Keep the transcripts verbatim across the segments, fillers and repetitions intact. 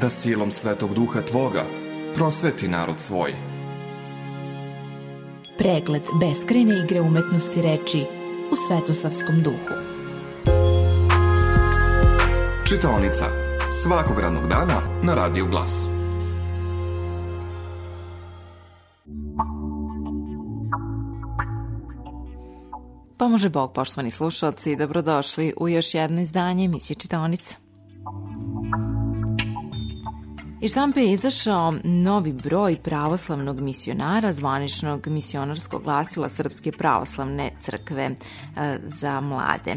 da silom Svetog Duha Tvoga prosveti narod svoj. Pregled beskrajne igre umetnosti reči u Svetosavskom duhu. Čitaonica svakog radnog dana na Radiju Glas. Pomože Bog, poštovani slušalci, dobrodošli u još jedno izdanje emisije Čitaonica. Iz štampe je izašao novi broj pravoslavnog misionara, zvaničnog misionarskog glasila Srpske pravoslavne crkve za mlade.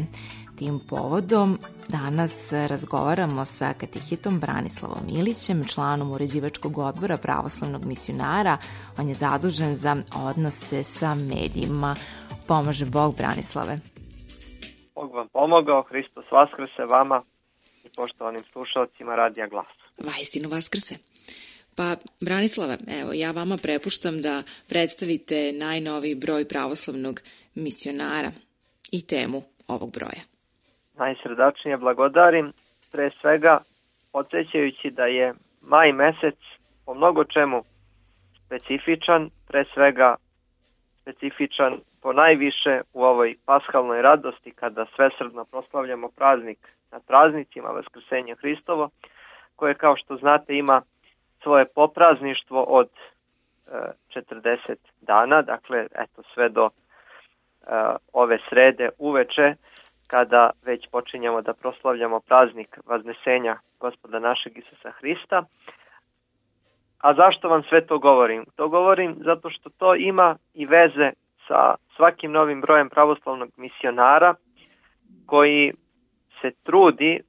Tim povodom danas razgovaramo sa katehetom Branislavom Ilićem, članom uređivačkog odbora pravoslavnog misionara. On je zadužen za odnose sa medijima. Pomože Bog, Branislave. Bog vam pomogao, Hristos vaskrse vama i poštovanim slušalcima Radija Glas. Vaistinu vaskrse. Pa, Branislave, evo, ja vama prepuštam da predstavite najnoviji broj pravoslavnog misionara i temu ovog broja. Najsrdačnije blagodarim, pre svega podsjećajući da je maj mesec po mnogo čemu specifičan, pre svega specifičan po najviše u ovoj paskalnoj radosti kada svesrdno proslavljamo praznik nad praznicima, Vaskrsenje Hristovo, koje kao što znate ima svoje poprazništvo od e, četrdeset dana, dakle eto sve do e, ove srede uveče kada već počinjemo da proslavljamo praznik Vaznesenja Gospoda našeg Isusa Hrista. A zašto vam sve to govorim? To govorim zato što to ima i veze sa svakim novim brojem pravoslavnog misionara koji se trudi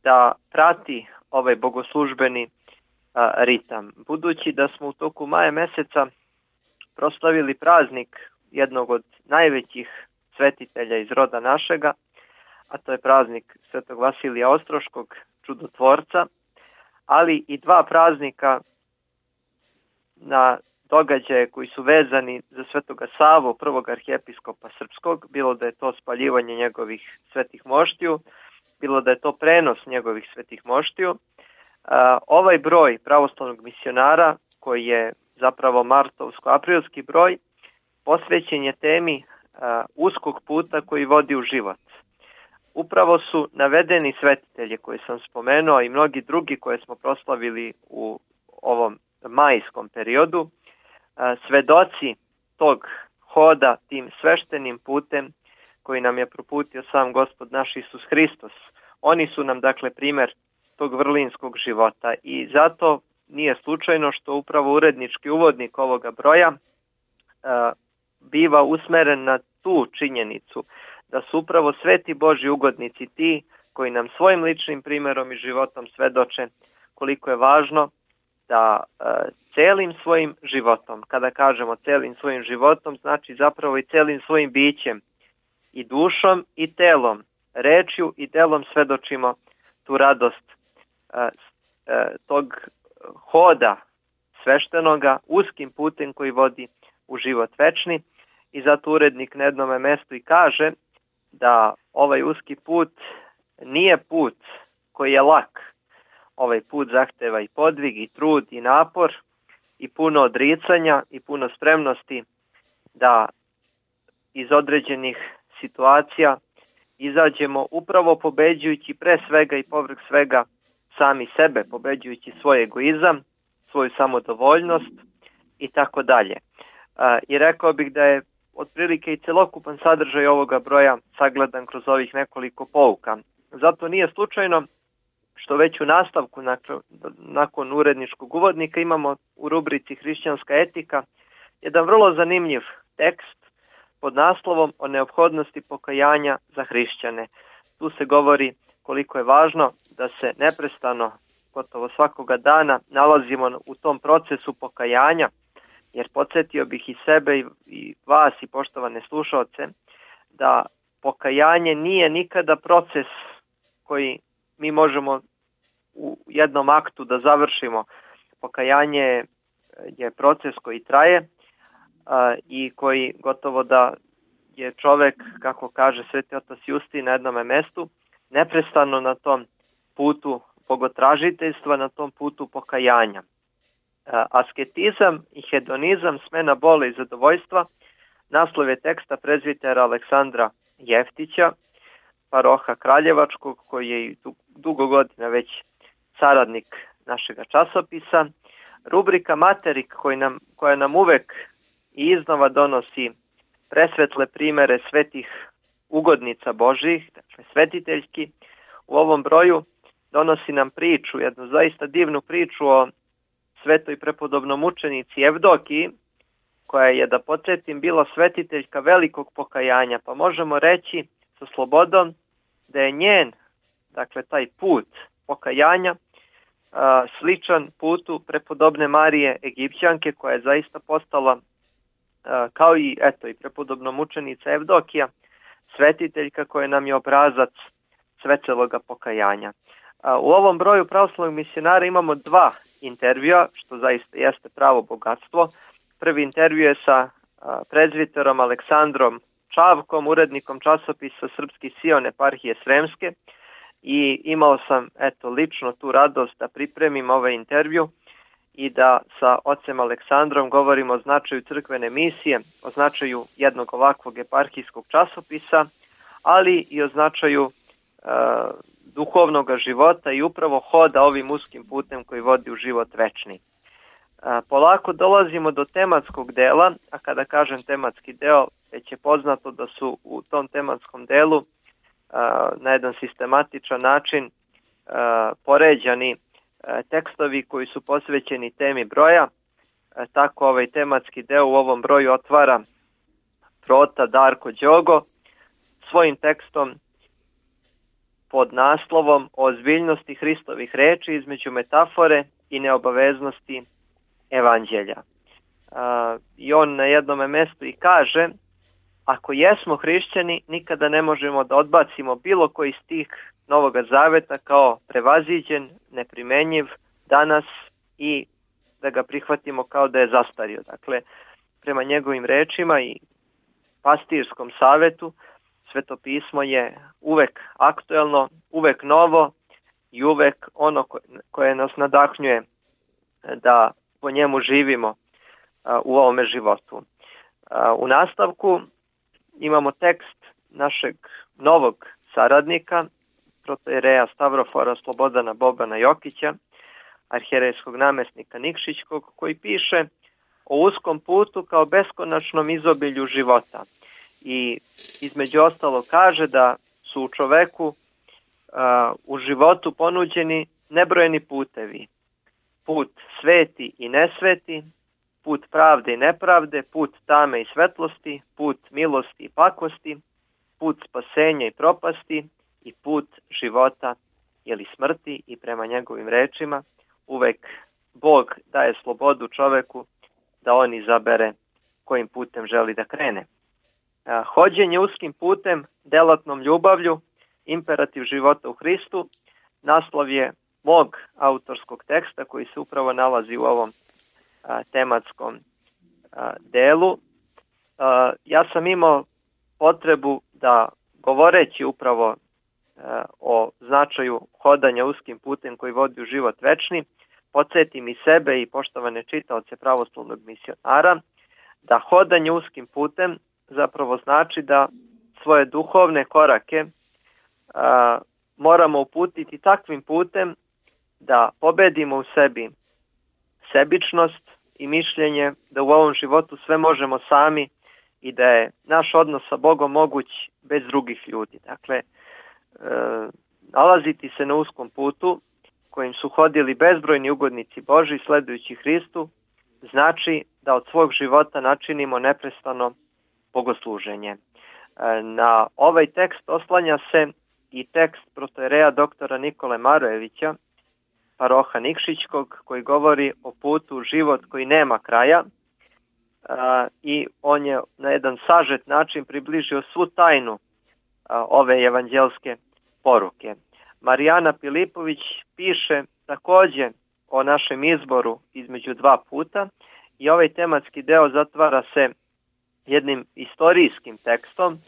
da prati ovaj bogoslužbeni a, ritam. Budući da smo u toku maja meseca proslavili praznik jednog od najvećih svetitelja iz roda našega, a to je praznik Svetog Vasilija Ostroškog, čudotvorca, ali i dva praznika na događaje koji su vezani za Svetoga Savu, prvog arhijepiskopa srpskog, bilo da je to spaljivanje njegovih svetih moštiju, bilo da je to prenos njegovih svetih moštiju. Ovaj broj pravoslavnog misionara, koji je zapravo martovsko-aprilski broj, posvećen je temi uskog puta koji vodi u život. Upravo su navedeni svetitelji koje sam spomenuo i mnogi drugi koje smo proslavili u ovom majskom periodu, svedoci tog hoda tim sveštenim putem koji nam je proputio sam Gospod naš Isus Hristos. Oni su nam dakle primjer tog vrlinskog života i zato nije slučajno što upravo urednički uvodnik ovoga broja a, biva usmeren na tu činjenicu da su upravo sveti Božji ugodnici ti koji nam svojim ličnim primjerom i životom svedoče koliko je važno da e, celim svojim životom, kada kažemo celim svojim životom, znači zapravo i celim svojim bićem, i dušom i telom, rečju i delom svedočimo tu radost e, e, tog hoda sveštenoga uskim putem koji vodi u život večni. I zato urednik na jednome mestu i kaže da ovaj uski put nije put koji je lak. Ovaj put zahteva i podvig, i trud, i napor, i puno odricanja, i puno spremnosti da iz određenih situacija izađemo upravo pobeđujući pre svega i povrh svega sami sebe, pobeđujući svoj egoizam, svoju samodovoljnost i tako dalje. I rekao bih da je otprilike i celokupan sadržaj ovoga broja sagledan kroz ovih nekoliko pouka. Zato nije slučajno što već u nastavku nakon, nakon uredničkog uvodnika imamo u rubrici Hrišćanska etika jedan vrlo zanimljiv tekst pod naslovom o neophodnosti pokajanja za hrišćane. Tu se govori koliko je važno da se neprestano, gotovo svakoga dana, nalazimo u tom procesu pokajanja, jer podsjetio bih i sebe i, i vas i poštovane slušaoce da pokajanje nije nikada proces koji mi možemo u jednom aktu da završimo. Pokajanje je proces koji traje a, i koji gotovo da je čovek, kako kaže Sveti otac Justin na jednome mestu, neprestano na tom putu bogotražiteljstva na tom putu pokajanja. Asketizam i hedonizam, smena bole i zadovoljstva, naslov je teksta prezbitera Aleksandra Jeftića, paroha Kraljevačkog, koji je dugo godina već saradnik našega časopisa. Rubrika Materik, koji nam, koja nam uvek i iznova donosi presvetle primere svetih ugodnica Božih, dakle svetiteljski. U ovom broju donosi nam priču, jednu zaista divnu priču o svetoj prepodobnom učenici Evdokiji, koja je, da podsjetim, bila svetiteljka velikog pokajanja, pa možemo reći sa slobodom da je njen, dakle taj put pokajanja, a, sličan putu prepodobne Marije Egipćanke, koja je zaista postala, a, kao i eto i prepodobna mučenica Evdokija, svetiteljka koja nam je obrazac sveteloga pokajanja. A, u ovom broju pravoslavnog misionara imamo dva intervjua, što zaista jeste pravo bogatstvo. Prvi intervju je sa a, prezbiterom Aleksandrom Čavkom, urednikom časopisa Srpski Sion eparhije Sremske, i imao sam eto lično tu radost da pripremim ovaj intervju i da sa ocem Aleksandrom govorimo o značaju crkvene misije, o značaju jednog ovakvog eparhijskog časopisa, ali i o značaju e, duhovnog života i upravo hoda ovim uskim putem koji vodi u život večni. E, polako dolazimo do tematskog dela, a kada kažem tematski deo, već je poznato da su u tom tematskom delu e, na jedan sistematičan način e, poređani e, tekstovi koji su posvećeni temi broja. E, tako ovaj tematski deo u ovom broju otvara prota Darko Đogo svojim tekstom pod naslovom o ozbiljnosti Hristovih reči između metafore i neobaveznosti evanđelja. Uh, I on na jednom mjestu i kaže: ako jesmo hrišćani, nikada ne možemo da odbacimo bilo koji stih Novoga Zaveta kao prevaziđen, neprimenjiv danas i da ga prihvatimo kao da je zastario. Dakle, prema njegovim rečima i pastirskom savetu, Sveto pismo je uvek aktuelno, uvek novo i uvek ono koje nas nadahnjuje da po njemu živimo u ovome životu. U nastavku imamo tekst našeg novog saradnika, protoijereja Stavrofora Slobodana Bobana Jokića, arhijerejskog namjesnika Nikšićkog, koji piše o uskom putu kao beskonačnom izobilju života. I između ostalo kaže da su u čoveku uh, u životu ponuđeni nebrojeni putevi. Put sveti i nesveti, put pravde i nepravde, put tame i svetlosti, put milosti i pakosti, put spasenja i propasti i put života ili smrti. I prema njegovim rečima uvek Bog daje slobodu čoveku da on izabere kojim putem želi da krene. Hođenje uskim putem, delatnom ljubavlju, imperativ života u Hristu, naslov je mog autorskog teksta koji se upravo nalazi u ovom a, tematskom a, delu. A, ja sam imao potrebu da, govoreći upravo a, o značaju hodanja uskim putem koji vodi u život večni, podsjetim i sebe i poštovane čitaoce pravoslavnog misionara da hodanje uskim putem zapravo znači da svoje duhovne korake a, moramo uputiti takvim putem da pobedimo u sebi sebičnost i mišljenje da u ovom životu sve možemo sami i da je naš odnos sa Bogom moguć bez drugih ljudi. Dakle, e, nalaziti se na uskom putu kojim su hodili bezbrojni ugodnici Boži sledujući Hristu znači da od svog života načinimo neprestano bogosluženje. Na ovaj tekst oslanja se i tekst protoijereja doktora Nikole Marojevića, paroha Nikšićkog, koji govori o putu u život koji nema kraja, i on je na jedan sažet način približio svu tajnu ove evanđelske poruke. Marijana Pilipović piše također o našem izboru između dva puta i ovaj tematski deo zatvara se jednim istorijskim tekstom,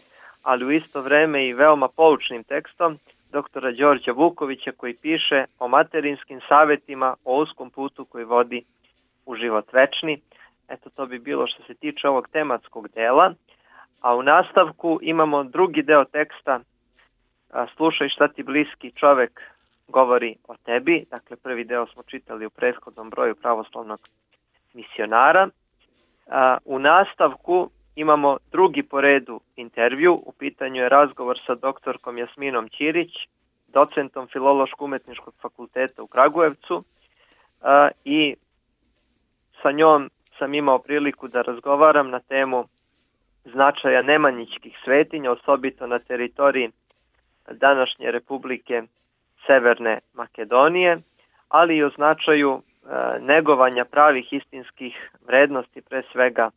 ali u isto vreme i veoma poučnim tekstom, doktora Đorđa Vukovića, koji piše o materinskim savjetima, o uskom putu koji vodi u život večni. Eto, to bi bilo što se tiče ovog tematskog dela. A u nastavku imamo drugi deo teksta, slušaj šta ti bliski čovek govori o tebi. Dakle, prvi deo smo čitali u prethodnom broju pravoslavnog misionara. U nastavku imamo drugi po redu intervju. U pitanju je razgovor sa doktorkom Jasminom Ćirić, docentom Filološko-umetničkog fakulteta u Kragujevcu, i sa njom sam imao priliku da razgovaram na temu značaja nemanjičkih svetinja, osobito na teritoriji današnje Republike Severne Makedonije, ali i o značaju e, negovanja pravih istinskih vrednosti, pre svega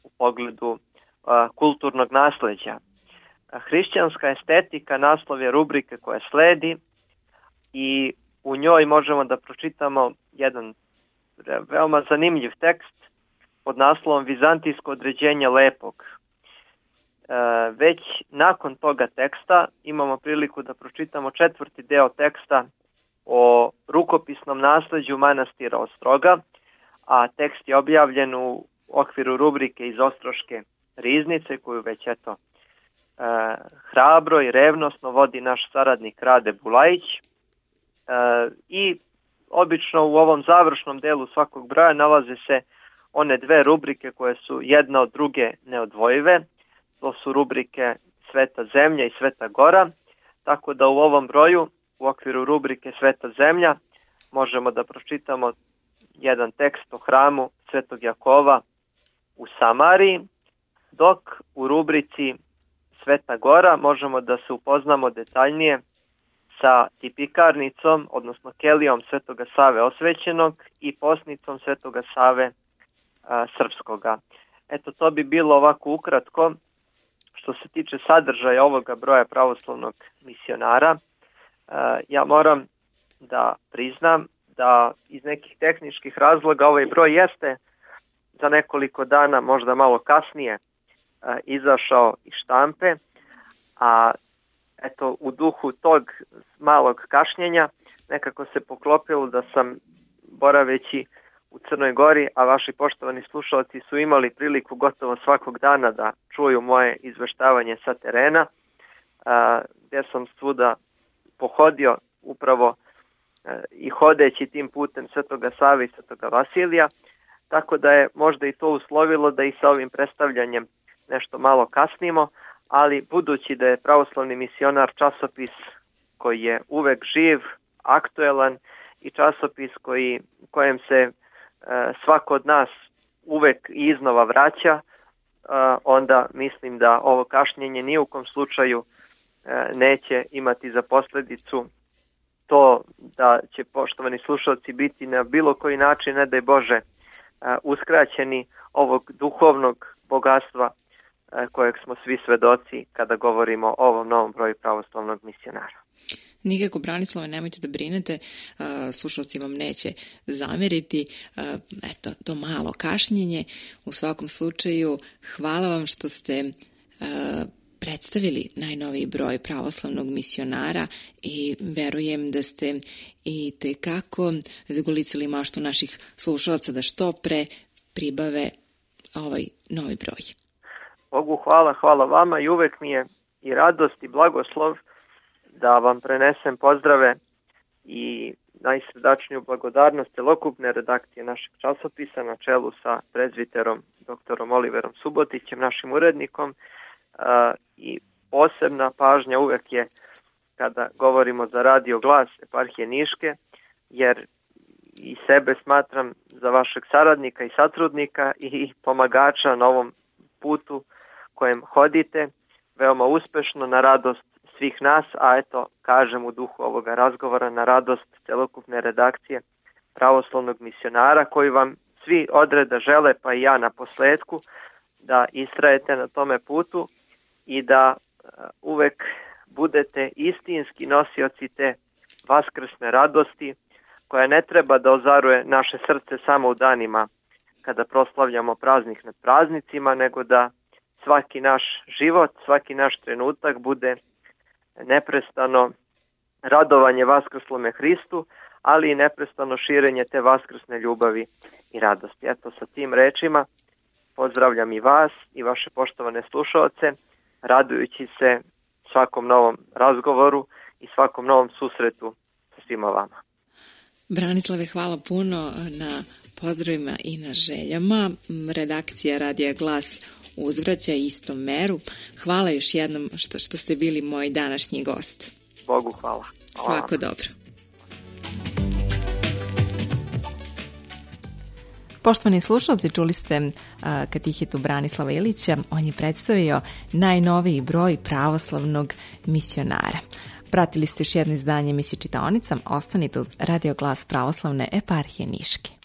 u pogledu e, kulturnog nasleđa. Hrišćanska estetika naslov je rubrike koja sledi i u njoj možemo da pročitamo jedan veoma zanimljiv tekst pod naslovom Vizantijsko određenje lepog. E, već nakon toga teksta imamo priliku da pročitamo četvrti deo teksta o rukopisnom nasleđu manastira Ostroga, a tekst je objavljen u okviru rubrike iz Ostroške riznice, koju već eto e, hrabro i revnosno vodi naš saradnik Rade Bulajić. E, I obično u ovom završnom delu svakog broja nalaze se one dve rubrike koje su jedna od druge neodvojive. To su rubrike Sveta zemlja i Sveta gora, tako da u ovom broju u okviru rubrike Sveta zemlja možemo da pročitamo jedan tekst o hramu Svetog Jakova u Samariji, dok u rubrici Sveta gora možemo da se upoznamo detaljnije sa tipikarnicom, odnosno kelijom Svetoga Save Osvećenog i posnicom Svetoga Save a, Srpskoga. Eto, to bi bilo ovako ukratko što se tiče sadržaja ovoga broja pravoslavnog misionara. A, ja moram da priznam da iz nekih tehničkih razloga ovaj broj jeste za nekoliko dana, možda malo kasnije, a, izašao iz štampe, a eto, u duhu tog malog kašnjenja nekako se poklopilo da sam, boraveći u Crnoj Gori, a vaši poštovani slušalci su imali priliku gotovo svakog dana da čuju moje izveštavanje sa terena, a, gdje sam svuda pohodio upravo a, i hodeći tim putem Svetoga Save i Svetoga Vasilija, tako da je možda i to uslovilo da i sa ovim predstavljanjem nešto malo kasnimo, ali budući da je Pravoslavni misionar časopis koji je uvek živ, aktuelan i časopis koji, kojem se e, svako od nas uvek i iznova vraća, e, onda mislim da ovo kašnjenje ni u kom slučaju e, neće imati za posljedicu to da će poštovani slušalci biti na bilo koji način, ne daj Bože, e, uskraćeni ovog duhovnog bogatstva kojeg smo svi svedoci kada govorimo o ovom novom broju pravoslavnog misionara. Nikako, Branislave, nemojte da brinete, slušalci vam neće zameriti. Eto, to malo kašnjenje. U svakom slučaju, hvala vam što ste predstavili najnoviji broj pravoslavnog misionara i verujem da ste i tekako zagolicali maštu naših slušalaca da što pre pribave ovaj novi broj. Bogu hvala, hvala vama i uvek mi je i radost i blagoslov da vam prenesem pozdrave i najsrdačniju blagodarnost celokupne redakcije našeg časopisa na čelu sa prezbiterom doktorom Oliverom Subotićem, našim urednikom, i posebna pažnja uvek je kada govorimo za Radio Glas eparhije Niške, jer i sebe smatram za vašeg saradnika i satrudnika i pomagača na ovom putu kojem hodite, veoma uspešno, na radost svih nas, a eto, kažem u duhu ovoga razgovora, na radost celokupne redakcije Pravoslavnog misionara, koji vam svi odreda žele, pa i ja na posledku, da istrajete na tome putu i da uvek budete istinski nosioci te vaskrsne radosti, koja ne treba da ozaruje naše srce samo u danima kada proslavljamo praznik nad praznicima, nego da svaki naš život, svaki naš trenutak bude neprestano radovanje vaskrslome Hristu, ali i neprestano širenje te vaskrsne ljubavi i radosti. Eto, sa tim rečima pozdravljam i vas i vaše poštovane slušaoce, radujući se svakom novom razgovoru i svakom novom susretu sa svima vama. Branislave, hvala puno na pozdravima i na željama. Redakcija Radija Glas uzvraća istom meru. Hvala još jednom što, što ste bili moj današnji gost. Bogu hvala. hvala Svako dobro. Poštovani slušalci, čuli ste uh, katehitu Branislava Ilića. On je predstavio najnoviji broj pravoslavnog misionara. Pratili ste još jedno izdanje emisije Čitaonica. Ostanite uz Radio Glas pravoslavne eparhije Niške.